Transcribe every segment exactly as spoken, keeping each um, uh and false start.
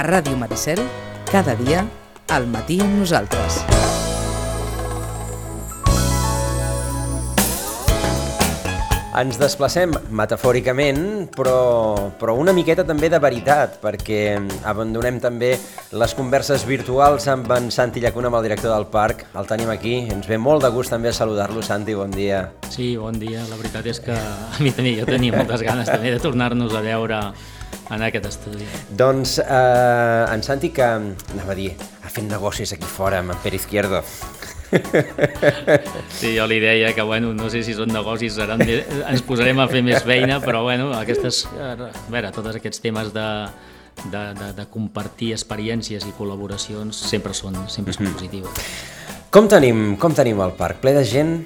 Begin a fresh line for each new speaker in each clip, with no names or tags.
Ràdio Maricel, cada dia, al matí amb nosaltres.
Ens desplacem metafòricament, però, però una miqueta també de veritat, perquè abandonem també les converses virtuals amb en Santi Llacuna, amb el director del parc. El tenim aquí, ens ve molt de gust també saludar-lo. Santi, bon dia.
Sí, bon dia. La veritat és que a mi també, jo tenia moltes ganes també de tornar-nos a veure en aquest estudi.
Doncs eh, en Santi, que anava a dir, ha fet negocis aquí fora amb en Pere Izquierdo.
Sí, jo li deia que, bueno, no sé si són negocis, seran més, ens posarem a fer més feina, però, bueno, aquestes, a veure, tots aquests temes de, de, de, de compartir experiències i col·laboracions sempre són, sempre són positives.
Com tenim, com tenim el parc? Ple de gent?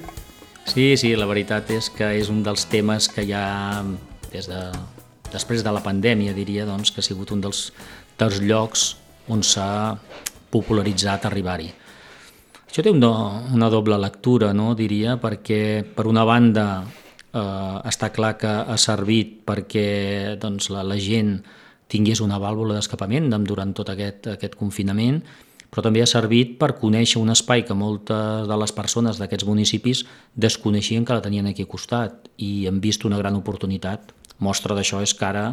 Sí, sí, la veritat és que és un dels temes que ja, des de, després de la pandèmia, diria, doncs, que ha sigut un dels, dels llocs on s'ha popularitzat arribar-hi. Això té una, una doble lectura, no, diria, perquè per una banda eh, està clar que ha servit perquè doncs, la, la gent tingués una vàlvula d'escapament durant tot aquest, aquest confinament, però també ha servit per conèixer un espai que moltes de les persones d'aquests municipis desconeixien que la tenien aquí al costat i han vist una gran oportunitat. Mostra d'això és que ara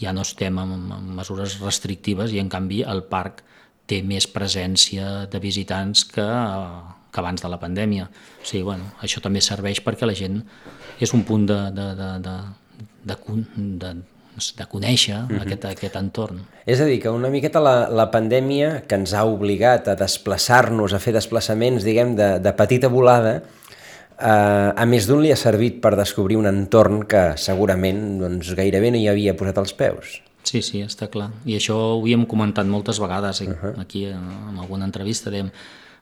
ja no estem amb, amb mesures restrictives i en canvi el parc té més presència de visitants que, que abans de la pandèmia. O sigui, bueno, això també serveix perquè la gent és un punt de, de, de, de, de, de, de conèixer mm-hmm. aquest, aquest entorn.
És a dir, que una miqueta la, la pandèmia que ens ha obligat a desplaçar-nos, a fer desplaçaments, diguem, de, de petita volada, eh, a més d'un li ha servit per descobrir un entorn que segurament doncs, gairebé no hi havia posat els peus.
Sí, sí, està clar. I això ho havíem comentat moltes vegades uh-huh. aquí en alguna entrevista. Dèiem,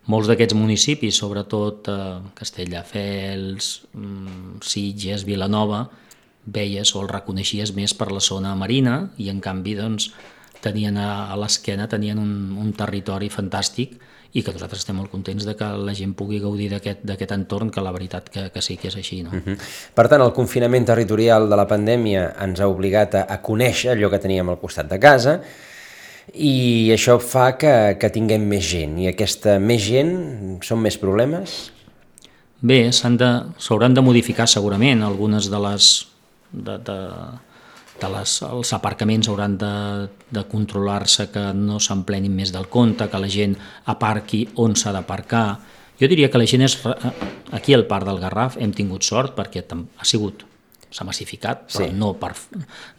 molts d'aquests municipis, sobretot eh, Castelldefels, Sitges, Vilanova, veies o el reconeixies més per la zona marina i en canvi doncs, tenien a, a l'esquena tenien un, un territori fantàstic i que nosaltres estem molt contents de que la gent pugui gaudir d'aquest, d'aquest entorn, que la veritat que, que sí que és així. No?
Uh-huh. Per tant, el confinament territorial de la pandèmia ens ha obligat a, a conèixer allò que teníem al costat de casa i això fa que, que tinguem més gent. I aquesta més gent són més problemes?
Bé, s'han de, s'hauran de modificar segurament algunes de les... De, de, de les, els aparcaments hauran de, de controlar-se que no s'emplenin més del compte, que la gent aparqui on s'ha d'aparcar. Jo diria que la gent és... Aquí al Parc del Garraf hem tingut sort perquè ha sigut, s'ha massificat, però sí. no, per,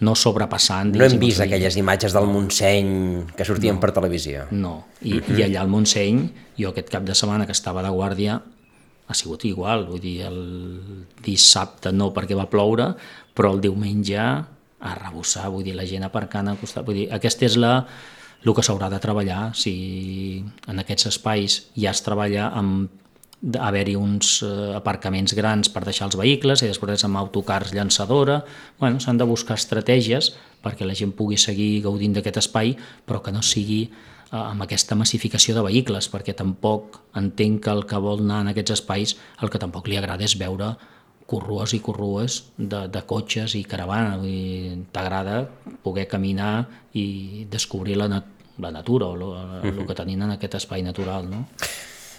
no sobrepassant...
No hem vist aquelles imatges del Montseny que sortien no, per televisió.
No, I, uh-huh. i allà al Montseny, jo aquest cap de setmana que estava de guàrdia, ha sigut igual, vull dir, el dissabte no perquè va ploure, però el diumenge a rebussar, vull dir, la gent aparcant al costat, vull dir, aquest és la, el que s'haurà de treballar, si en aquests espais ja es treballa amb haver-hi uns aparcaments grans per deixar els vehicles i després amb autocars llançadora, bueno, s'han de buscar estratègies perquè la gent pugui seguir gaudint d'aquest espai, però que no sigui amb aquesta massificació de vehicles, perquè tampoc entenc que el que vol anar en aquests espais, el que tampoc li agrada és veure corrues i corrues de, de cotxes i caravana. Vull dir, t'agrada poder caminar i descobrir la, nat la natura o el uh-huh. que tenim en aquest espai natural. No?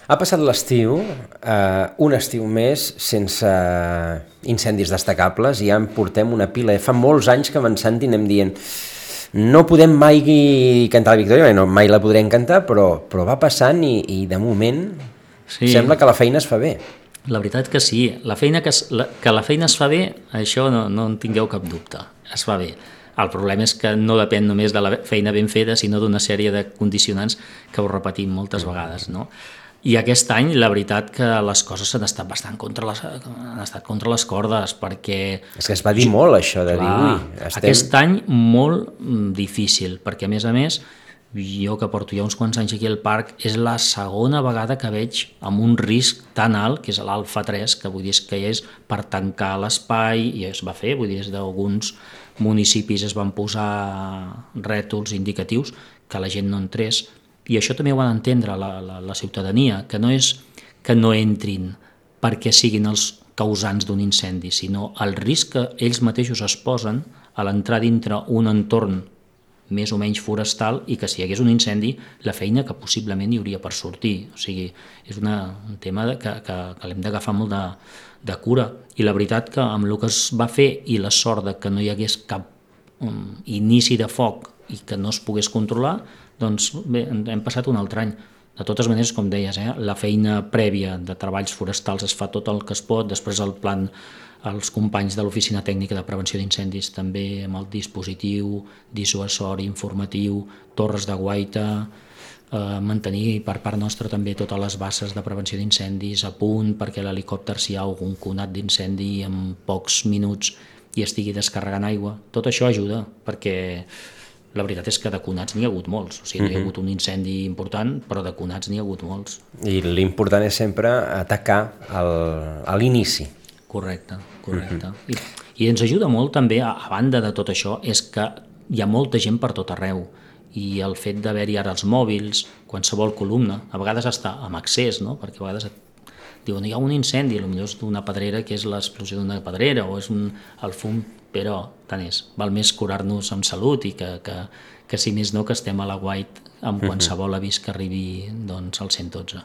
Ha passat l'estiu, eh, un estiu més sense incendis destacables i ja en portem una pila. Fa molts anys que amb en Santi anem dient no podem mai cantar la Victòria, no, mai la podrem cantar, però, però va passant i, i de moment sí. sembla que la feina es fa bé.
La veritat que sí, la feina que, es, la, que la feina es fa bé, això no, no en tingueu cap dubte, es fa bé. El problema és que no depèn només de la feina ben feta, sinó d'una sèrie de condicionants que ho repetim moltes vegades, no? I aquest any, la veritat que les coses han estat bastant contra les, han estat contra les cordes, perquè...
És que es va dir molt això, de clar, dir, ui, estem...
Aquest any molt difícil, perquè a més a més, jo que porto ja uns quants anys aquí al parc, és la segona vegada que veig amb un risc tan alt, que és l'alfa tres, que vull dir que és per tancar l'espai, i es va fer, vull dir, des d'alguns municipis es van posar rètols indicatius que la gent no entrés, i això també ho ha d'entendre la, la, la ciutadania, que no és que no entrin perquè siguin els causants d'un incendi, sinó el risc que ells mateixos es posen a l'entrar dintre un entorn més o menys forestal i que si hi hagués un incendi, la feina que possiblement hi hauria per sortir. O sigui, és una, un tema que, que, que l'hem d'agafar molt de, de cura. I la veritat que amb el que es va fer i la sort de que no hi hagués cap um, inici de foc i que no es pogués controlar, doncs bé, hem passat un altre any. De totes maneres, com deies, eh, la feina prèvia de treballs forestals es fa tot el que es pot, després el plan, els companys de l'Oficina Tècnica de Prevenció d'Incendis també amb el dispositiu dissuasori, informatiu, torres de guaita, eh, mantenir per part nostra també totes les bases de prevenció d'incendis a punt perquè l'helicòpter, si hi ha algun conat d'incendi en pocs minuts i estigui descarregant aigua. Tot això ajuda perquè la veritat és que de conats n'hi ha hagut molts, o sigui, no hi ha hagut un incendi important, però de conats n'hi ha hagut molts.
I l'important és sempre atacar el, a l'inici.
Correcte, correcte. Uh-huh. I, I ens ajuda molt també, a, a banda de tot això, és que hi ha molta gent per tot arreu i el fet d'haver-hi ara els mòbils, qualsevol columna, a vegades està amb accés, no? Perquè a vegades et diuen hi ha un incendi, potser és d'una pedrera que és l'explosió d'una pedrera o és un, el fum, però tant és, val més curar-nos amb salut i que, que, que si més no que estem a la guait amb qualsevol avís que arribi doncs, al cent dotze.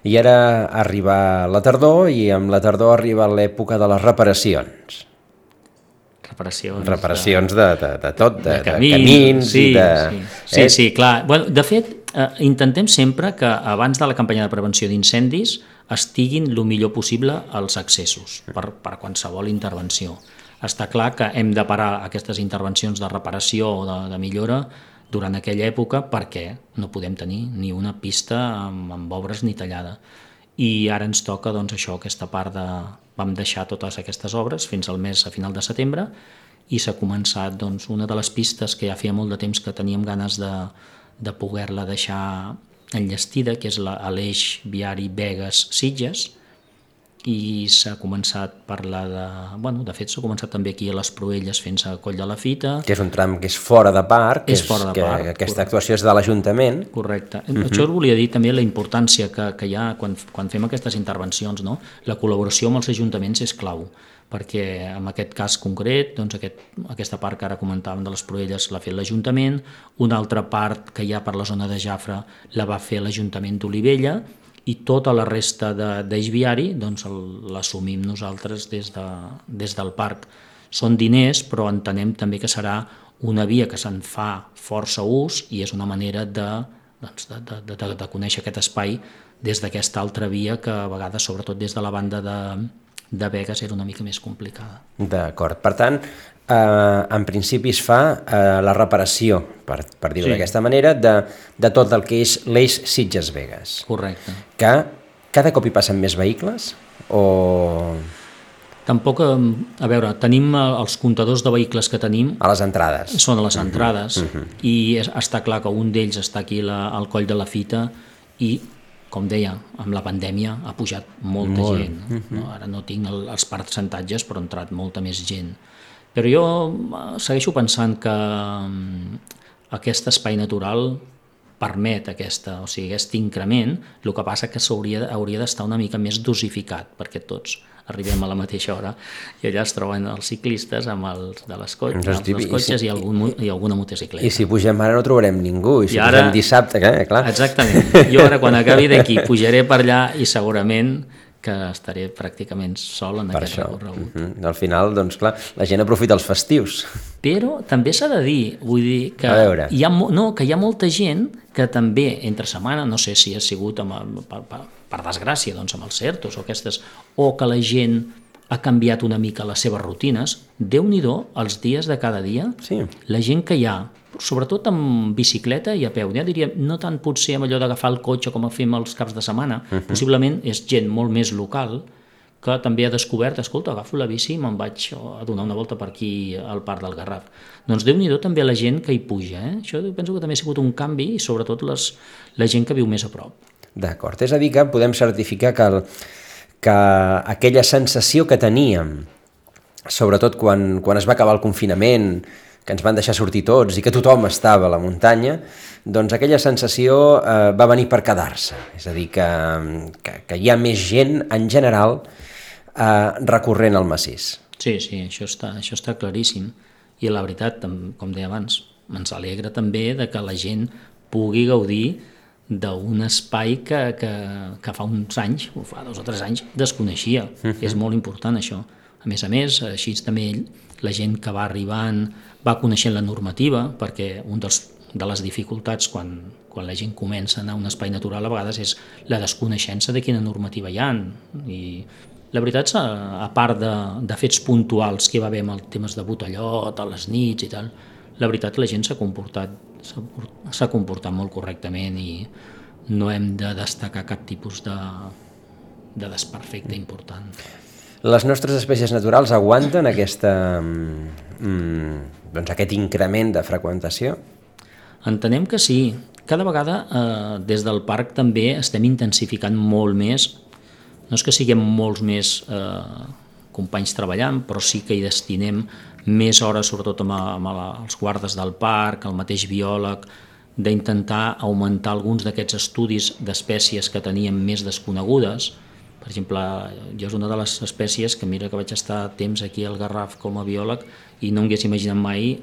I ara arriba la tardor i amb la tardor arriba l'època de les reparacions.
Reparacions,
reparacions de, de, de tot, de,
de camins,
de camins
sí,
i de...
Sí, sí, eh? sí clar. Bueno, de fet, eh, intentem sempre que abans de la campanya de prevenció d'incendis estiguin el millor possible els accessos per, per qualsevol intervenció. Està clar que hem de parar aquestes intervencions de reparació o de, de millora durant aquella època perquè no podem tenir ni una pista amb, amb obres ni tallada. I ara ens toca doncs, això, aquesta part de... Vam deixar totes aquestes obres fins al mes a final de setembre i s'ha començat doncs, una de les pistes que ja feia molt de temps que teníem ganes de, de poder-la deixar enllestida, que és la, l'eix viari Begues-Sitges, i s'ha començat per la de... Bueno, de fet, s'ha començat també aquí a les Proelles fent-se a Coll de la Fita.
Que és un tram que és fora de parc,
és, és fora de
que,
parc,
que aquesta
correcte.
Actuació és de l'Ajuntament.
Correcte. Uh-huh. Això us volia dir també la importància que, que hi ha quan, quan fem aquestes intervencions, no? La col·laboració amb els ajuntaments és clau, perquè en aquest cas concret, doncs aquest, aquesta part que ara comentàvem de les Proelles l'ha fet l'Ajuntament, una altra part que hi ha per la zona de Jafre la va fer l'Ajuntament d'Olivella, i tota la resta d'eix viari doncs, l'assumim nosaltres des, de, des del parc. Són diners, però entenem també que serà una via que se'n fa força ús i és una manera de, doncs, de, de, de, de conèixer aquest espai des d'aquesta altra via que a vegades, sobretot des de la banda de, de Begues, era una mica més complicada.
D'acord. Per tant, eh, en principi es fa eh, la reparació, per, per dir-ho sí. d'aquesta manera, de, de tot el que és l'eix Sitges-Begues.
Correcte.
Que cada cop hi passen més vehicles o...
Tampoc, a veure, tenim els comptadors de vehicles que tenim...
A les entrades.
Són a les entrades, uh-huh. Uh-huh. I està clar que un d'ells està aquí la, al Coll de la Fita i, com deia, amb la pandèmia ha pujat molta Molt. gent. Uh-huh. No? Ara no tinc el, els percentatges, però ha entrat molta més gent. Però jo segueixo pensant que aquest espai natural permet aquesta, o sigui, aquest increment, el que passa que s'hauria hauria d'estar una mica més dosificat, perquè tots arribem a la mateixa hora i allà es troben els ciclistes amb els de les co- amb els cotxes i, si, i, algun, i alguna motocicleta.
I si pugem ara no trobarem ningú, i si I ara, pugem dissabte, eh, clar.
Exactament. Jo ara quan acabi d'aquí pujaré per allà i segurament que estaré pràcticament sol en per aquest recorregut.
Uh-huh. Al final, doncs clar, la gent aprofita els festius.
Però també s'ha de dir, vull dir que hi ha, no, que hi ha molta gent que també entre setmana, no sé si ha sigut amb, per, per, per desgràcia doncs amb els certos o aquestes, o que la gent ha canviat una mica les seves rutines, Déu-n'hi-do els dies de cada dia,
sí.
La gent que hi ha, sobretot amb bicicleta i a peu, ja diria, no tant potser amb allò d'agafar el cotxe com fem els caps de setmana, uh-huh. Possiblement és gent molt més local que també ha descobert, escolta, agafo la bici i me'n vaig a donar una volta per aquí al Parc del Garraf. Doncs Déu-n'hi-do també la gent que hi puja, eh? Això penso que també ha sigut un canvi i sobretot les, la gent que viu més a prop.
D'acord, és a dir que podem certificar que, el, que aquella sensació que teníem, sobretot quan, quan es va acabar el confinament, que ens van deixar sortir tots i que tothom estava a la muntanya, doncs aquella sensació eh, va venir per quedar-se. És a dir, que, que, que hi ha més gent en general eh, recorrent al massís.
Sí, sí, això està, això està claríssim. I la veritat, com deia abans, ens alegra també de que la gent pugui gaudir d'un espai que, que, que fa uns anys, o fa dos o tres anys, desconeixia. Uh-huh. És molt important això. A més a més, així també la gent que va arribant va coneixent la normativa, perquè un dels, de les dificultats quan, quan la gent comença a anar a un espai natural a vegades és la desconeixença de quina normativa hi ha. I la veritat, a, a part de, de fets puntuals que hi va haver amb els temes de botellot, a les nits i tal, la veritat la gent s'ha comportat s'ha comportat molt correctament i no hem de destacar cap tipus de, de desperfecte important.
Les nostres espècies naturals aguanten aquesta, mm, doncs aquest increment de freqüentació?
Entenem que sí. Cada vegada eh, des del parc també estem intensificant molt més. No és que siguem molts més eh, companys treballant, però sí que hi destinem més hores, sobretot amb, amb els guardes del parc, el mateix biòleg, d'intentar augmentar alguns d'aquests estudis d'espècies que teníem més desconegudes. Per exemple, jo és una de les espècies que mira que vaig estar temps aquí al Garraf com a biòleg i no m'hagués imaginat mai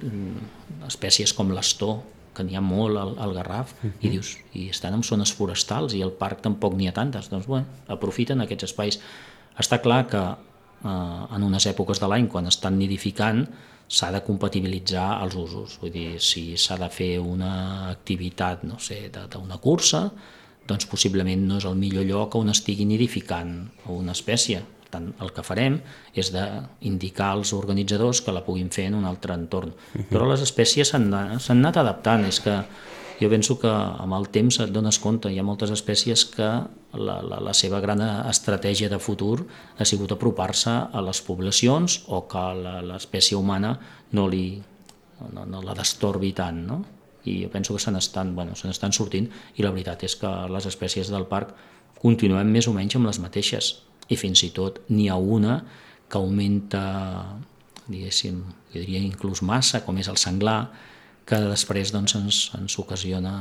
espècies com l'astor, que n'hi ha molt al, al Garraf, uh-huh. i dius, i estan en zones forestals i al parc tampoc n'hi ha tantes, doncs bueno, aprofiten aquests espais. Està clar que en unes èpoques de l'any, quan estan nidificant, s'ha de compatibilitzar els usos. Vull dir, si s'ha de fer una activitat, no sé, d'una cursa, doncs possiblement no és el millor lloc on estigui nidificant una espècie. Per tant, el que farem és d'indicar als organitzadors que la puguin fer en un altre entorn. Però les espècies s'han anat adaptant. És que jo penso que amb el temps et dones compte, hi ha moltes espècies que la, la, la seva gran estratègia de futur ha sigut apropar-se a les poblacions o que l'espècie humana no, li, no, no la destorbi tant, no? I jo penso que se n'estan bueno, se n'estan sortint i la veritat és que les espècies del parc continuem més o menys amb les mateixes i fins i tot n'hi ha una que augmenta, diguéssim, jo diria inclús massa, com és el senglar, que després doncs, ens, ens ocasiona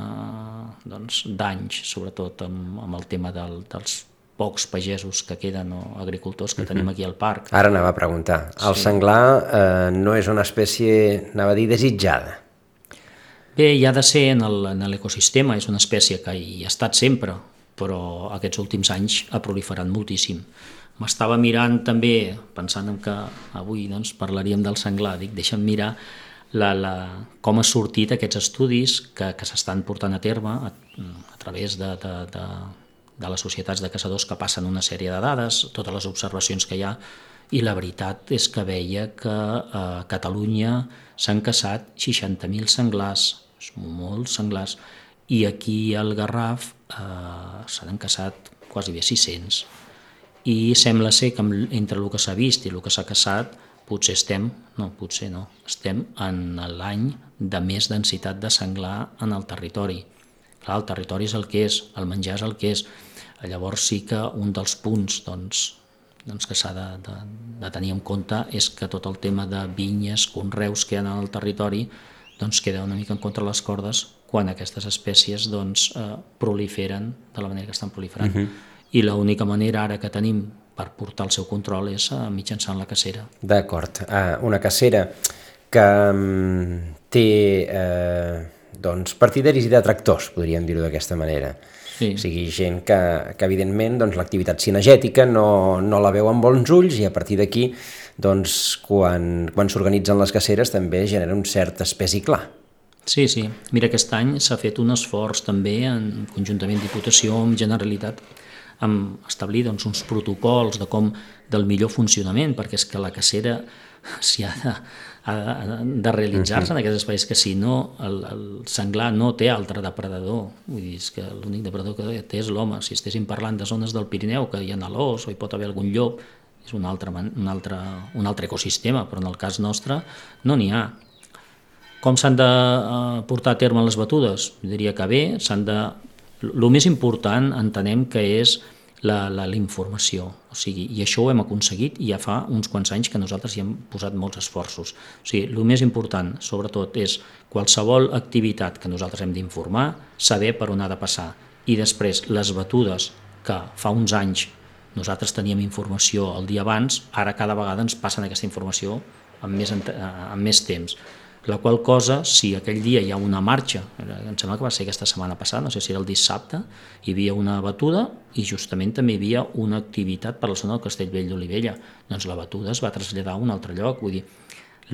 doncs, danys, sobretot amb, amb el tema del, dels pocs pagesos que queden o agricultors que tenim aquí al parc.
Ara anava a preguntar. El sí. senglar eh, no és una espècie, anava a dir, desitjada?
Bé, hi ha de ser en l'ecosistema, és una espècie que hi ha estat sempre, però aquests últims anys ha proliferat moltíssim. M'estava mirant també, pensant en que avui doncs, parlaríem del senglar, dic, deixa'm mirar La, la, com ha sortit aquests estudis que, que s'estan portant a terme a, a través de, de, de, de les societats de caçadors que passen una sèrie de dades, totes les observacions que hi ha, i la veritat és que veia que a Catalunya s'han caçat seixanta mil senglars, molts senglars, i aquí al Garraf eh, s'han caçat quasi bé sis-cents. I sembla ser que entre el que s'ha vist i el que s'ha caçat potser estem, no, potser no, estem en l'any de més densitat de senglar en el territori. Clar, el territori és el que és, el menjar és el que és. Llavors sí que un dels punts doncs, doncs que s'ha de, de, de tenir en compte és que tot el tema de vinyes, conreus que hi ha en el territori doncs queda una mica en contra les cordes quan aquestes espècies doncs, eh, proliferen de la manera que estan proliferant. Uh-huh. I l'única manera ara que tenim per portar el seu control és mitjançant la cacera.
D'acord. Uh, una cacera que um, té uh, doncs, partidaris i detractors, podríem dir-ho d'aquesta manera.
Sí.
O sigui, gent que, que evidentment doncs, l'activitat cinegètica no, no la veu amb bons ulls i a partir d'aquí, doncs, quan, quan s'organitzen les caceres també genera un cert espès i clar.
Sí, sí. Mira, aquest any s'ha fet un esforç també en conjuntament Diputació amb Generalitat amb establir doncs, uns protocols de com del millor funcionament, perquè és que la cacera s'hi ha de, ha de realitzar-se en aquests espais, que si no el, el senglar no té altre depredador. Vull dir, és que l'únic depredador que té és l'home. Si estéssim parlant de zones del Pirineu que hi ha l'os o hi pot haver algun llop, és un altre, un altre, un altre ecosistema, però en el cas nostre no n'hi ha. Com s'han de portar a terme les batudes? Jo diria que bé, s'han de... El més important entenem que és la, la, la informació, o sigui, i això ho hem aconseguit i ja fa uns quants anys que nosaltres hi hem posat molts esforços. O sigui, el més important, sobretot, és qualsevol activitat que nosaltres hem d'informar, saber per on ha de passar. I després, les batudes, que fa uns anys nosaltres teníem informació el dia abans, ara cada vegada ens passen aquesta informació amb més, amb més temps. La qual cosa, si aquell dia hi ha una marxa, em sembla que va ser aquesta setmana passada, no sé si era el dissabte, hi havia una batuda i justament també hi havia una activitat per la zona del Castellvell d'Olivella. Doncs la batuda es va traslladar a un altre lloc. Vull dir,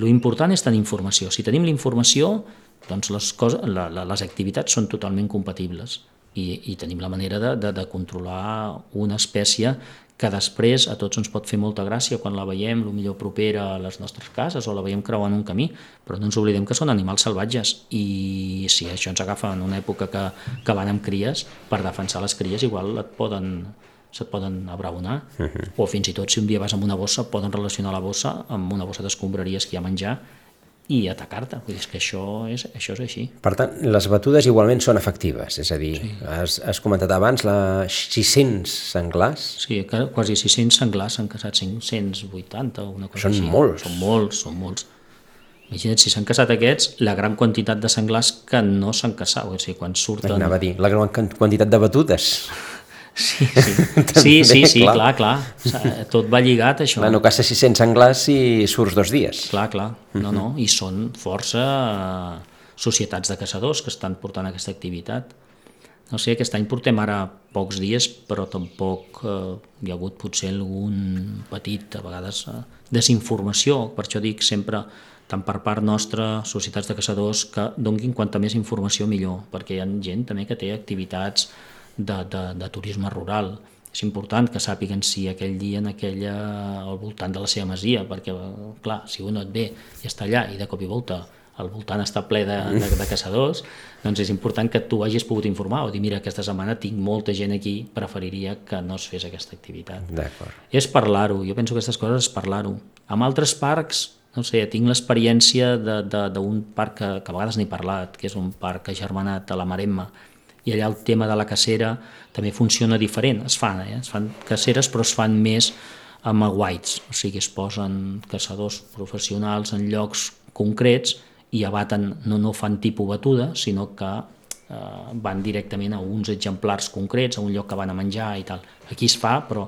l'important és tenir informació. Si tenim la informació, doncs les, coses, la, la, les activitats són totalment compatibles i, i tenim la manera de, de, de controlar una espècie que després a tots ens pot fer molta gràcia quan la veiem potser propera a les nostres cases o la veiem creuant un camí, però no ens oblidem que són animals salvatges i si això ens agafa en una època que, que van amb cries, per defensar les cries igual et poden, se't poden abraonar, uh-huh. o fins i tot si un dia vas amb una bossa poden relacionar la bossa amb una bossa d'escombraries que hi ha a menjar i atacar-te, vull dir que això és, això és així.
Per tant, les batudes igualment són efectives, és a dir, sí. has, has comentat abans la sis-cents senglars?
Sí, quasi sis-cents senglars s'han casat, cinc-cents vuitanta o una cosa
són
així.
Molts.
Són molts, són molts. Imagina't, si s'han casat aquests, la gran quantitat de senglars que no s'han casat, o sigui, quan surten...
Anava a dir, la gran quantitat de batudes.
Sí, sí, sí, sí, sí, clar, clar, clar. Tot va lligat, això.
Clar, no caça sis-cents senglars i surts dos dies.
Clar, clar, no, no, i són força societats de caçadors que estan portant aquesta activitat. No sé, aquest any portem ara pocs dies, però tampoc eh, hi ha hagut potser algun petit, a vegades, eh, desinformació, per això dic sempre, tant per part nostra, societats de caçadors, que donguin quanta més informació millor, perquè hi ha gent també que té activitats De, de, de turisme rural. És important que sàpiguen si aquell dia en aquella, al voltant de la seva masia, perquè, clar, si un et ve i està allà i de cop i volta al voltant està ple de, de, de caçadors, doncs és important que tu hagis pogut informar o dir, mira, aquesta setmana tinc molta gent aquí, preferiria que no es fes aquesta activitat.
D'acord.
És parlar-ho, jo penso que aquestes coses és parlar-ho. Amb altres parcs, no sé, tinc l'experiència d'un parc que, que a vegades n'he parlat, que és un parc agermanat a la Maremma, i allà el tema de la cacera també funciona diferent, es fan, eh? es fan caceres però es fan més amb aguaits, o sigui es posen caçadors professionals en llocs concrets i abaten, no, no fan tipus batuda, sinó que eh, van directament a uns exemplars concrets, a un lloc que van a menjar i tal. Aquí es fa, però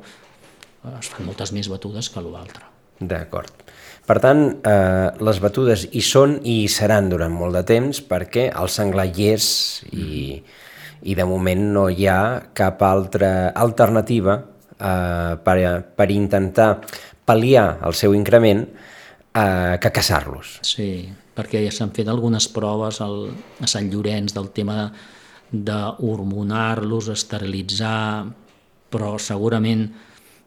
es fan moltes més batudes que l'altre.
D'acord. Per tant, eh, les batudes hi són i hi seran durant molt de temps perquè el senglar hi és i... Mm. i de moment no hi ha cap altra alternativa eh, per, per intentar pal·liar el seu increment eh, que caçar-los.
Sí, perquè ja s'han fet algunes proves al, a Sant Llorenç del tema d'hormonar-los, esterilitzar, però segurament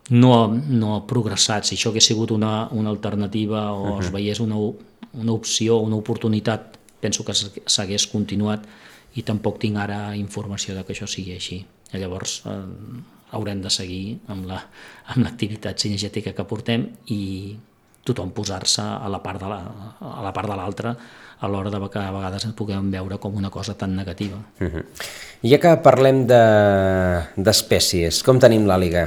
no, no ha progressat. Si això hagués sigut una, una alternativa o uh-huh. es veiés una, una opció, una oportunitat, penso que s'hagués continuat, i tampoc tinc ara informació de que això sigui així. I llavors eh, haurem de seguir amb l'activitat la, cinegètica que portem i tothom posar-se a la part de la, a la part de l'altra a l'hora de que a vegades ens puguem veure com una cosa tan negativa.
Uh-huh. Ja que parlem d'espècies, de, com tenim l'àliga?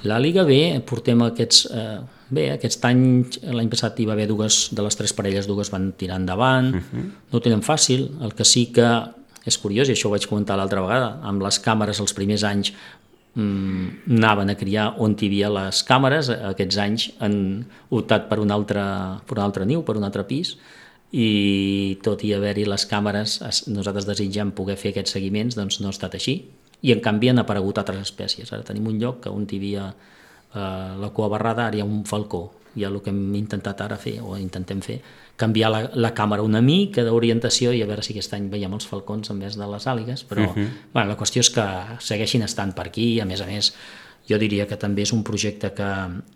L'àliga bé, portem aquests... Eh, Bé, aquest any, l'any passat hi va haver dues, de les tres parelles, dues van tirar endavant, uh-huh. no ho tenen fàcil, el que sí que és curiós, i això ho vaig comentar l'altra vegada, amb les càmeres els primers anys mmm, anaven a criar on hi havia les càmeres, aquests anys han optat per un altre, per un altre niu, per un altre pis, i tot i haver-hi les càmeres, nosaltres desitjam poder fer aquests seguiments, doncs no ha estat així, i en canvi han aparegut altres espècies. Ara tenim un lloc on hi havia Uh, la cua barrada, ara hi ha un falcó, i el que hem intentat ara fer, o intentem fer, canviar la, la càmera una mica d'orientació i a veure si aquest any veiem els falcons en vez de les àligues, però uh-huh. bueno, la qüestió és que segueixin estant per aquí, i a més a més jo diria que també és un projecte que,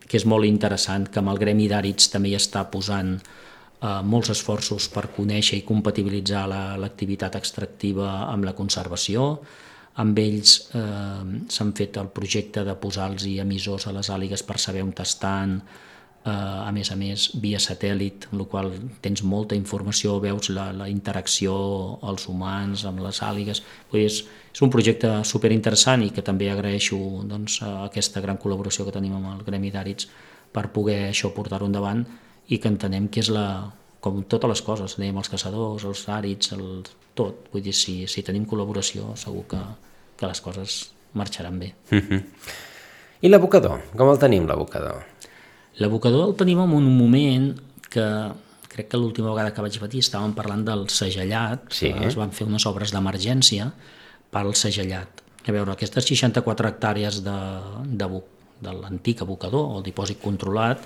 que és molt interessant, que amb el Gremi d'Àrids també hi està posant uh, molts esforços per conèixer i compatibilitzar l'activitat la, extractiva amb la conservació. Amb ells eh, s'han fet el projecte de posar-los emissors a les àligues per saber on estan, eh, a més a més via satèl·lit, amb la qual tens molta informació, veus la, la interacció als humans amb les àligues. És, és un projecte superinteressant i que també agraeixo doncs, aquesta gran col·laboració que tenim amb el Gremi d'Àrids per poder això portar-ho endavant i que entenem que és la, com totes les coses, dèiem els caçadors, els àrids, el, tot. Vull dir, si, si tenim col·laboració segur que, que les coses marxaran bé.
Uh-huh. I l'abocador? Com el tenim, l'abocador?
L'abocador el tenim en un moment que crec que l'última vegada que vaig venir estàvem parlant del segellat,
sí.
Es van fer unes obres d'emergència pel segellat. A veure, aquestes seixanta-quatre hectàrees de, de, de l'antic abocador, o el dipòsit controlat,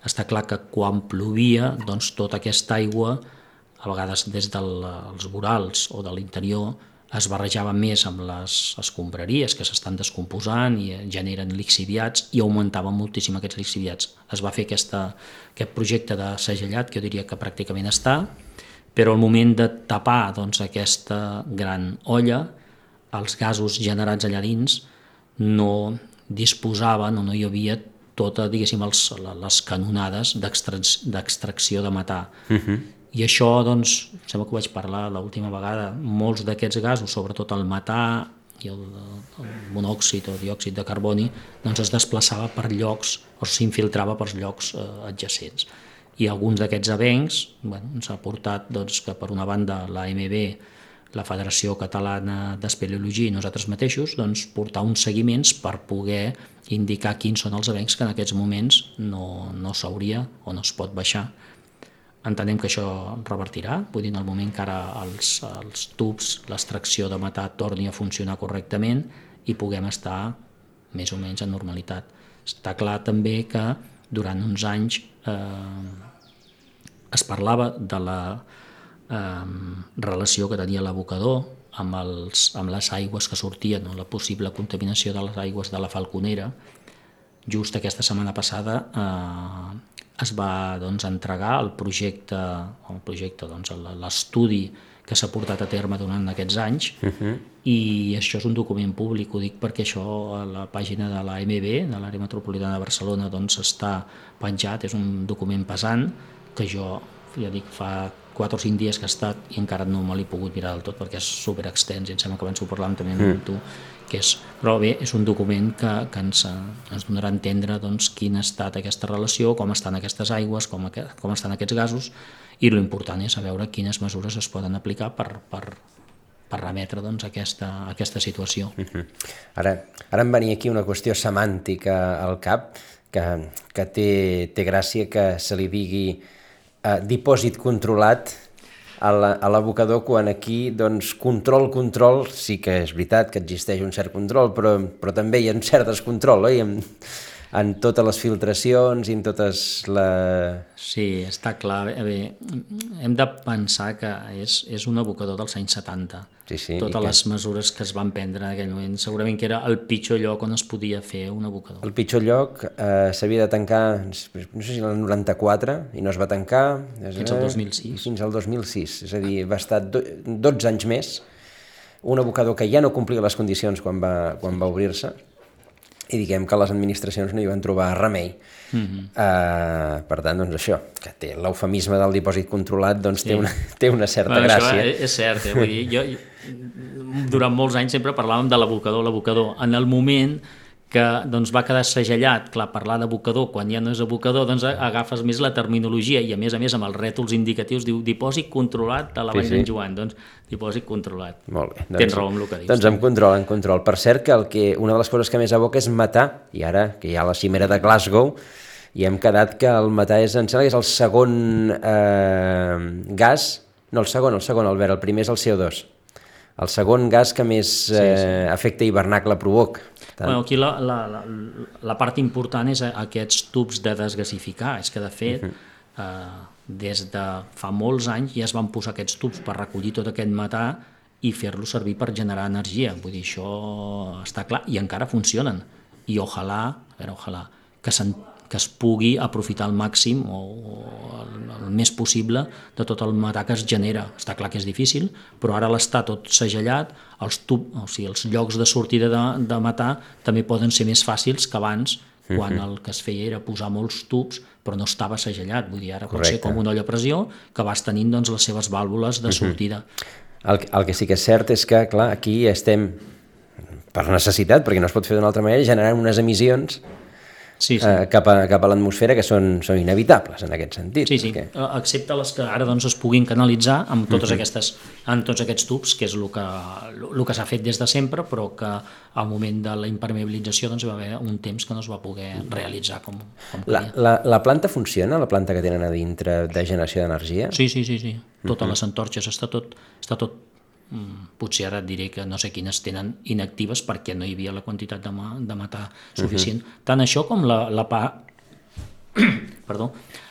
està clar que quan plovia, doncs tota aquesta aigua, a vegades des dels vorals o de l'interior, es barrejava més amb les escombraries que s'estan descomposant i generen lixiviats i augmentaven moltíssim aquests lixiviats. Es va fer aquesta, aquest projecte de segellat, que jo diria que pràcticament està, però al moment de tapar doncs, aquesta gran olla, els gasos generats allà dins no disposaven o no hi havia tota, diguéssim, els, les canonades d'extracció de metà. Uh-huh. I això, doncs, sembla que ho vaig parlar l'última vegada, molts d'aquests gasos, sobretot el metà i el, el monòxid o diòxid de carboni, doncs es desplaçava per llocs o s'infiltrava per llocs eh, adjacents. I alguns d'aquests avencs, bueno, ens ha portat doncs, que per una banda la A M B, la Federació Catalana d'Espeleologia i nosaltres mateixos, doncs, portar uns seguiments per poder indicar quins són els avencs que en aquests moments no, no s'hauria o no es pot baixar. Entenem que això revertirà, vull dir, en el moment que ara els, els tubs, l'extracció de metà torni a funcionar correctament i puguem estar més o menys en normalitat. Està clar també que durant uns anys eh, es parlava de la eh, relació que tenia l'abocador amb, els, amb les aigües que sortien, no? La possible contaminació de les aigües de la Falconera. Just aquesta setmana passada eh, es va doncs, entregar el projecte, el projecte doncs, l'estudi que s'ha portat a terme durant aquests anys, uh-huh. I això és un document públic, ho dic perquè això a la pàgina de l'A M B, de l'Àrea Metropolitana de Barcelona, doncs està penjat, és un document pesant que jo, ja dic, fa quatre o cinc dies que he estat i encara no me l'he pogut mirar del tot perquè és superextens i em sembla que abans ho parlàvem també amb tu, que és, però bé, és un document que, que ens, ens donarà a entendre doncs, quina ha estat aquesta relació, com estan aquestes aigües, com, com estan aquests gasos, i l'important és saber quines mesures es poden aplicar per, per, per remetre doncs, aquesta, aquesta situació.
Uh-huh. Ara, ara em venia aquí una qüestió semàntica al cap, que, que té, té gràcia que se li digui Uh, dipòsit controlat a l'abocador, quan aquí doncs, control, control, sí que és veritat que existeix un cert control, però, però també hi ha un cert descontrol, oi? En, en totes les filtracions i en totes les...
Sí, està clar. Bé, hem de pensar que és, és un abocador dels anys setanta.
Sí, sí,
totes les
que...
mesures que es van prendre en aquell moment, segurament que era el pitjor lloc on es podia fer un abocador.
El pitjor lloc eh, s'havia de tancar, no sé si el noranta-quatre, i no es va tancar...
Fins al dos mil sis.
Fins al dos mil sis, és a dir, va estar do, dotze anys més, un abocador que ja no complia les condicions quan va, quan va obrir-se, i diguem que les administracions no hi van trobar remei. Mm-hmm. Uh, per tant, doncs això, que té l'eufemisme del dipòsit controlat, doncs sí. té, una, té una certa bueno, gràcia.
Això és cert, eh? Vull dir, jo, durant molts anys sempre parlàvem de l'abocador, l'abocador. En el moment que doncs, va quedar segellat, clar, parlar d'abocador quan ja no és abocador, doncs agafes més la terminologia i a més a més amb els rètols indicatius diu dipòsit controlat de la Vall sí, sí. d'en Joan, doncs dipòsit controlat.
Molt bé. Doncs,
tens raó amb el que dius.
Doncs amb control, amb control. Per cert, que, el que una de les coses que més aboca és metà, i ara que hi ha la cimera de Glasgow, i hem quedat que el metà és, em sembla que és el segon eh, gas, no el segon, el segon, Albert, el primer és el C O dos. El segon gas que més eh, sí, sí. efecte hivernacle provoca.
Bueno, aquí la, la, la, la part important és aquests tubs de desgasificar. És que, de fet, uh-huh. eh, des de fa molts anys ja es van posar aquests tubs per recollir tot aquest metà i fer-lo servir per generar energia. Vull dir, això està clar, i encara funcionen. I ojalà, a veure, ojalà, que se'n que es pugui aprofitar al màxim o, o el, el més possible de tot el metà que es genera. Està clar que és difícil, però ara l'està tot segellat, els, tub, o sigui, els llocs de sortida de, de metà també poden ser més fàcils que abans, quan uh-huh. el que es feia era posar molts tubs, però no estava segellat. Vull dir, ara pot Correcte. Ser com una olla a pressió que vas tenint doncs, les seves vàlvules de sortida.
Uh-huh. El, el que sí que és cert és que, clar, aquí estem per necessitat, perquè no es pot fer d'una altra manera, generant unes emissions
sí, sí.
Eh, cap a, cap a l'atmosfera, que són, són inevitables en aquest sentit.
Sí, sí,
perquè...
excepte les que ara doncs, es puguin canalitzar amb totes uh-huh. aquestes, en tots aquests tubs, que és el que, el que s'ha fet des de sempre, però que al moment de la impermeabilització doncs, va haver un temps que no es va poder realitzar com, com
la, la, la planta funciona, la planta que tenen a dintre de generació d'energia?
Sí, sí, sí, sí. Totes uh-huh. les antorxes, està tot, està tot potser ara et diré que no sé quines tenen inactives perquè no hi havia la quantitat de, ma, de matar suficient. Uh-huh. Tant això com la, la, pa... Perdó,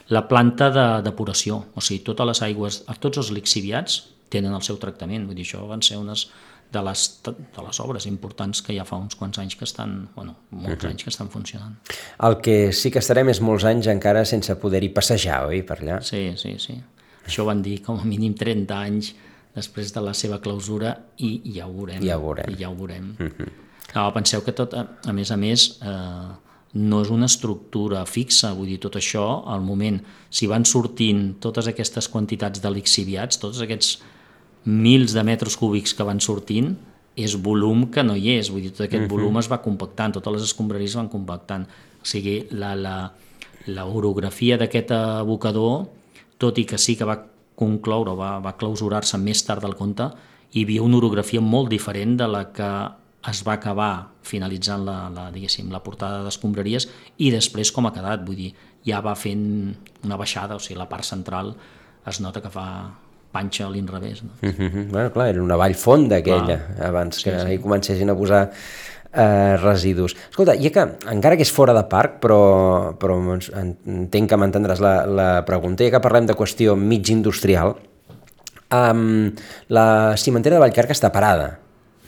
la planta de depuració, o sigui, totes les aigües, tots els lixiviats tenen el seu tractament, vull dir, això van ser unes de les, de les obres importants que ja fa uns quants anys que estan, bueno, molts uh-huh. anys que estan funcionant.
El que sí que estarem és molts anys encara sense poder-hi passejar, oi, per allà?
Sí, sí, sí. Això van dir com a mínim trenta anys després de la seva clausura i ja ho veurem.
Ja ho veurem.
I ja ho veurem. Uh-huh. No, penseu que tot, a, a més a més, eh, no és una estructura fixa, vull dir, tot això, al moment, si van sortint totes aquestes quantitats de lixiviats, tots aquests mils de metres cúbics que van sortint, és volum que no hi és, vull dir, tot aquest uh-huh. volum es va compactant, totes les escombraries van compactant. O sigui, la, la, la orografia d'aquest abocador, tot i que sí que va concloure, va, va clausurar-se més tard del compte, hi havia una orografia molt diferent de la que es va acabar finalitzant la, la, diguéssim, la portada d'escombraries i després com ha quedat, vull dir, ja va fent una baixada, o sigui, la part central es nota que fa panxa a l'inrevés. No?
Uh-huh. Bueno, clar, era una vall fonda aquella, clar. Abans que sí, sí. hi comencessin a posar Eh, residus. Escolta, ja que, encara que és fora de parc, però, però entenc que m'entendràs la, la pregunta, ja que parlem de qüestió mig industrial, um, la cimentera de Vallcarca està parada,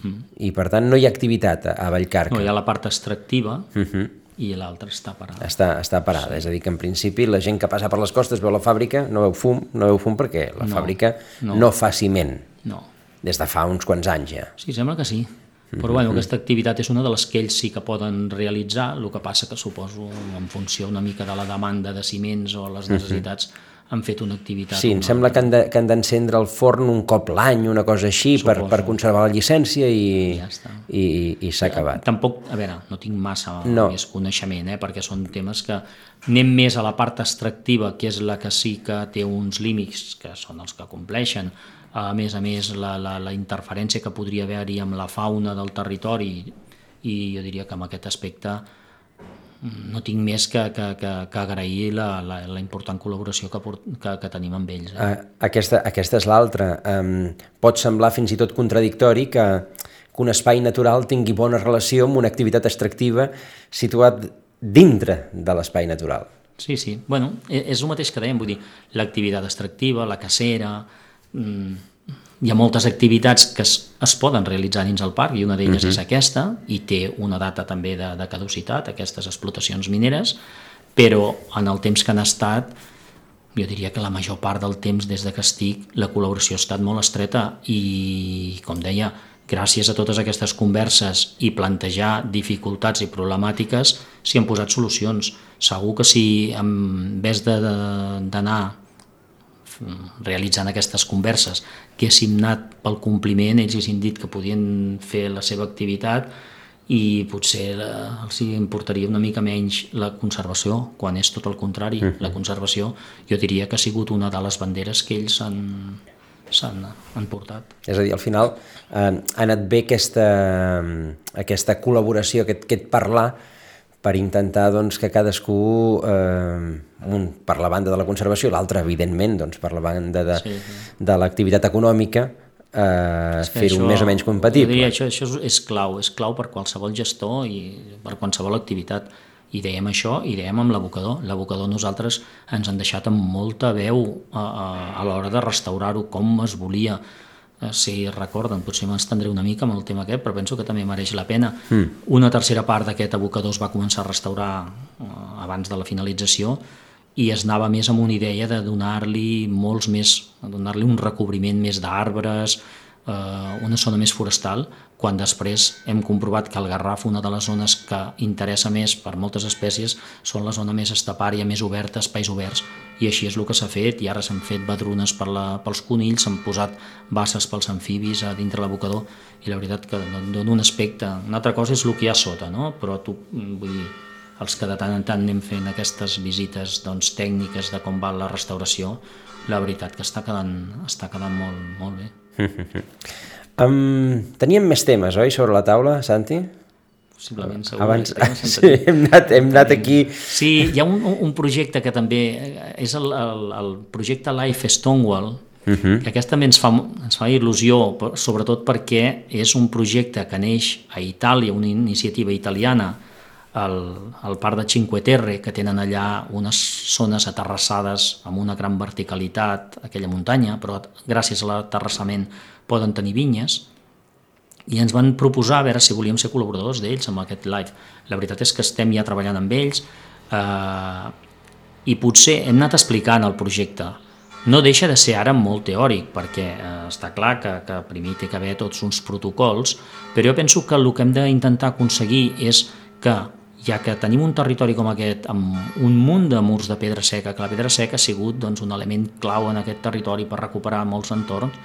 mm. i per tant no hi ha activitat a, a Vallcarca.
No, hi ha la part extractiva, uh-huh. i l'altra està parada.
Està, està parada, sí. És a dir, que en principi la gent que passa per les costes veu la fàbrica, no veu fum, no veu fum perquè la no, fàbrica no. no fa ciment.
No.
Des de fa uns quants anys ja.
Sí, sembla que sí. Però bueno, aquesta activitat és una de les que ells sí que poden realitzar, el que passa que suposo en funció una mica de la demanda de ciments o les necessitats han fet una activitat.
Sí, em sembla que han de, que han d'encendre el forn un cop l'any, una cosa així, per, per conservar la llicència i, ja i, i, i s'ha acabat.
Tampoc, a veure, no tinc massa
no.
més coneixement, eh, perquè són temes que anem més a la part extractiva, que és la que sí que té uns límits, que són els que compleixen. A més a més, la, la, la interferència que podria haver-hi amb la fauna del territori, i jo diria que en aquest aspecte no tinc més que, que, que, que agrair la, la, la important col·laboració que, que, que tenim amb ells. Eh?
Aquesta, aquesta és l'altra. Um, pot semblar fins i tot contradictori que, que un espai natural tingui bona relació amb una activitat extractiva situat dintre de l'espai natural.
Sí, sí. Bueno, és el mateix que dèiem, vull dir, l'activitat extractiva, la cacera... Hi ha moltes activitats que es, es poden realitzar dins el parc i una d'elles uh-huh. és aquesta i té una data també de, de caducitat, aquestes explotacions mineres, però en el temps que han estat, jo diria que la major part del temps des de que estic la col·laboració ha estat molt estreta i, com deia, gràcies a totes aquestes converses i plantejar dificultats i problemàtiques s'hi han posat solucions. Segur que si en vez d'anar realitzant aquestes converses que haguéssim anat pel compliment, ells haguessin dit que podien fer la seva activitat i potser els importaria una mica menys la conservació, quan és tot el contrari. Uh-huh. La conservació jo diria que ha sigut una de les banderes que ells han, s'han han portat. És
a dir, al final eh, ha anat bé aquesta, aquesta col·laboració, aquest, aquest parlar, per intentar doncs, que cadascú, eh, un per la banda de la conservació, l'altre, evidentment, doncs, per la banda de, sí, sí. de l'activitat econòmica, eh, fer-ho això, més o menys compatible.
Diria, això, això és clau, és clau per qualsevol gestor i per qualsevol activitat. I dèiem això, i dèiem amb l'abocador. L'abocador nosaltres ens han deixat amb molta veu a, a, a l'hora de restaurar-ho, com es volia. Si recorden, potser m'estendré una mica amb el tema aquest, però penso que també mereix la pena. Mm. Una tercera part d'aquest abocador es va començar a restaurar eh, abans de la finalització i es anava més amb una idea de donar-li molts més, donar-li un recobriment més d'arbres, eh, una zona més forestal, quan després hem comprovat que el Garraf, una de les zones que interessa més per moltes espècies, són la zona més estepària, més oberta, espais oberts, i així és el que s'ha fet, i ara s'han fet badrunes per la, pels conills, s'han posat basses pels amfibis a dintre l'abocador, i la veritat que dona un aspecte. Una altra cosa és el que hi ha sota, no? Però tu, vull dir, els que de tant en tant anem fent aquestes visites doncs, tècniques de com va la restauració, la veritat que està quedant, està quedant molt, molt bé.
um, teníem més temes, oi, sobre la taula, Santi?
Possiblement, segur.
Abans, sí, hem anat, hem anat aquí...
Sí, hi ha un, un projecte que també és el, el, el projecte Life Stonewall, uh-huh. que aquest també ens fa, ens fa il·lusió, sobretot perquè és un projecte que neix a Itàlia, una iniciativa italiana, al, al parc de Cinque Terre, que tenen allà unes zones aterrassades amb una gran verticalitat, aquella muntanya, però gràcies a l'aterrassament poden tenir vinyes, i ens van proposar a veure si volíem ser col·laboradors d'ells amb aquest live. La veritat és que estem ja treballant amb ells eh, i potser hem anat explicant el projecte. No deixa de ser ara molt teòric, perquè eh, està clar que, que primer té que haver tots uns protocols, però jo penso que el que hem d'intentar aconseguir és que, ja que tenim un territori com aquest amb un munt de murs de pedra seca, que la pedra seca ha sigut doncs, un element clau en aquest territori per recuperar molts entorns,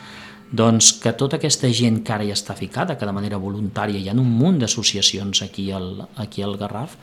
doncs que tota aquesta gent que ara ja està ficada, que de manera voluntària hi ha un munt d'associacions aquí al, aquí al Garraf,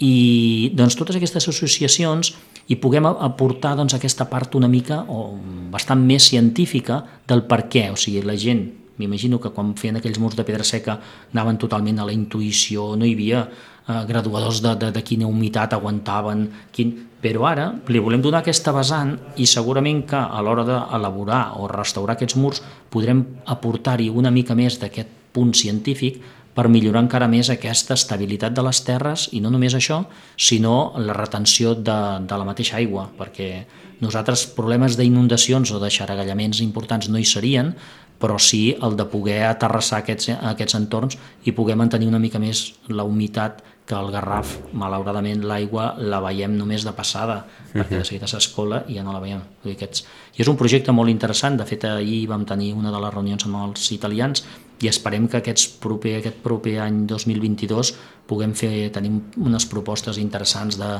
i doncs totes aquestes associacions hi puguem aportar doncs, aquesta part una mica o bastant més científica del per què, o sigui, la gent, m'imagino que quan feien aquells murs de pedra seca anaven totalment a la intuïció, no hi havia eh, graduadors de, de, de quina humitat aguantaven, quin... però ara li volem donar aquesta vessant i segurament que a l'hora d'elaborar o restaurar aquests murs podrem aportar-hi una mica més d'aquest punt científic per millorar encara més aquesta estabilitat de les terres i no només això, sinó la retenció de, de la mateixa aigua, perquè nosaltres problemes d'inundacions o de xaragallaments importants no hi serien, però sí el de poder aterrassar aquests, aquests entorns i poder mantenir una mica més la humitat que al Garraf, malauradament, l'aigua la veiem només de passada, perquè de seguida s'escola i ja no la veiem. Aquests... I és un projecte molt interessant, de fet ahir vam tenir una de les reunions amb els italians i esperem que aquests proper, aquest proper any dos mil vint-i-dos puguem fer, tenim unes propostes interessants de,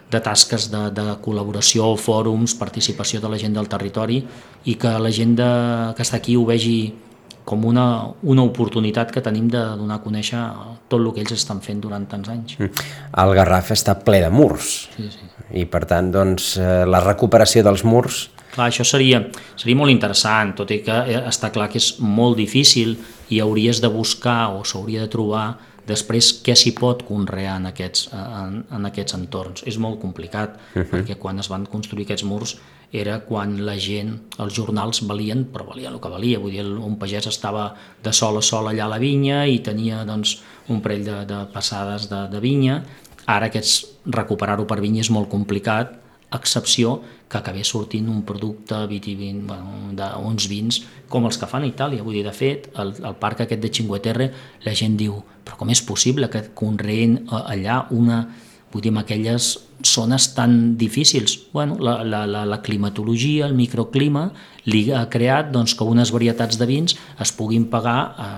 de tasques de, de col·laboració, fòrums, participació de la gent del territori i que la gent de, que està aquí ho vegi com una, una oportunitat que tenim de donar a conèixer tot el que ells estan fent durant tants anys.
El Garraf està ple de murs,
sí, sí.
I per tant doncs, la recuperació dels murs...
Clar, això seria, seria molt interessant, tot i que està clar que és molt difícil i hauries de buscar o s'hauria de trobar després què s'hi pot conrear en aquests, en, en aquests entorns. És molt complicat, uh-huh. perquè quan es van construir aquests murs era quan la gent, els jornals valien, però valien el que valia, vull dir, un pagès estava de sol a sol allà a la vinya i tenia doncs, un parell de, de passades de, de vinya. Ara aquests, recuperar-ho per vinya és molt complicat, a excepció que acabés sortint un producte vitivin, bueno, d'uns vins com els que fan a Itàlia. Vull dir, de fet, el, el parc aquest de Cinque Terre, la gent diu, però com és possible que conreen allà una, vull dir, en aquelles zones tan difícils? Bueno, la, la, la, la climatologia, el microclima, li ha creat doncs, que unes varietats de vins es puguin pagar a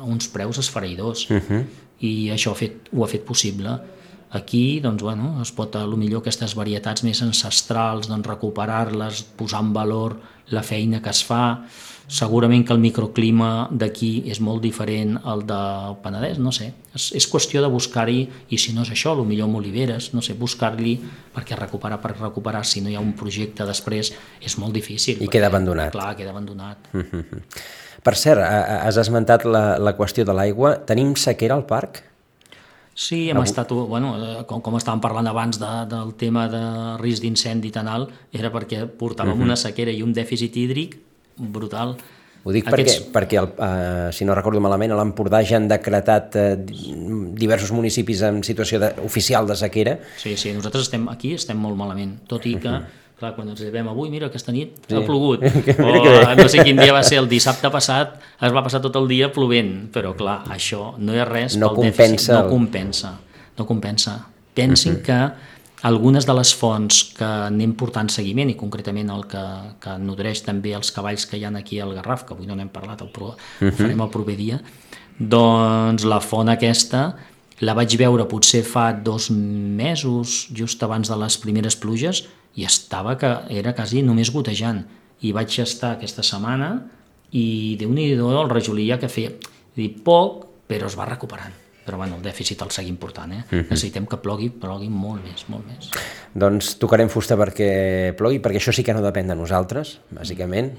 uns preus esfereïdors. Uh-huh. I això ha fet, ho ha fet possible. Aquí, doncs, bueno, es pot, potser aquestes varietats més ancestrals, doncs, recuperar-les, posar en valor la feina que es fa. Segurament que el microclima d'aquí és molt diferent al del Penedès, no sé. És, és qüestió de buscar-hi, i si no és això, potser amb oliveres, no sé, buscar-li, perquè recuperar per recuperar, si no hi ha un projecte després, és molt difícil.
I
perquè,
queda abandonat.
Clar, queda abandonat.
Mm-hmm. Per cert, has esmentat la, la qüestió de l'aigua. Tenim sequera al parc?
Sí, hem estat, bueno, com, com estàvem parlant abans de, del tema de risc d'incendi tan alt, era perquè portàvem uh-huh. una sequera i un dèficit hídric brutal.
Ho dic Aquests... perquè, perquè el, uh, si no recordo malament, a l'Empordà ja han decretat uh, diversos municipis en situació de, oficial de sequera.
Sí, sí, nosaltres estem aquí estem molt malament, tot i que, uh-huh. clar, quan ens llevem avui, mira, aquesta nit sí. ha plogut, o no sé quin dia va ser, el dissabte passat es va passar tot el dia plovent, però clar, això no és res
no
pel
compensa
dèficit, no compensa, no compensa. Pensin uh-huh. que algunes de les fonts que anem portant seguiment, i concretament el que, que nodreix també els cavalls que hi ha aquí al Garraf, que avui no n'hem parlat, el pro, uh-huh. ho farem el proper dia, doncs la font aquesta la vaig veure potser fa dos mesos, just abans de les primeres pluges, i estava que era quasi només gotejant. I vaig estar aquesta setmana i Déu-n'hi-do el rajolí que feia, dir, poc, però es va recuperant. però bueno, el dèficit el seguim portant, eh? Uh-huh. Necessitem que plogui, plogui molt més, molt més.
Doncs tocarem fusta perquè plogui, perquè això sí que no depèn de nosaltres, bàsicament.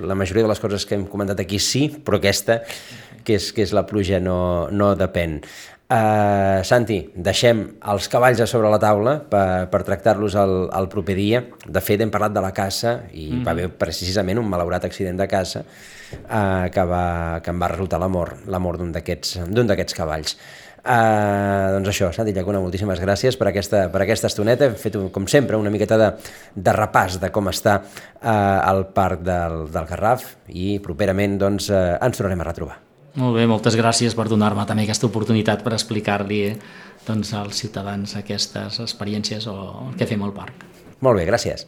La majoria de les coses que hem comentat aquí sí, però aquesta, que és, que és la pluja, no, no depèn. Uh, Santi, deixem els cavalls a sobre la taula per, per tractar-los el, el proper dia. De fet, hem parlat de la caça i mm. va haver precisament un malaurat accident de caça uh, que, va, que em va resultar la mort, la mort d'un d'aquests d'un d'aquests cavalls. Uh, doncs això, Santi Llacuna, moltíssimes gràcies per aquesta, per aquesta estoneta. Hem fet, com sempre, una miqueta de, de repàs de com està uh, el parc del, del Garraf i properament doncs, uh, ens tornarem a retrobar.
Molt bé, moltes gràcies per donar-me també aquesta oportunitat per explicar-li doncs, als ciutadans aquestes experiències o el que fem al parc.
Molt bé, gràcies.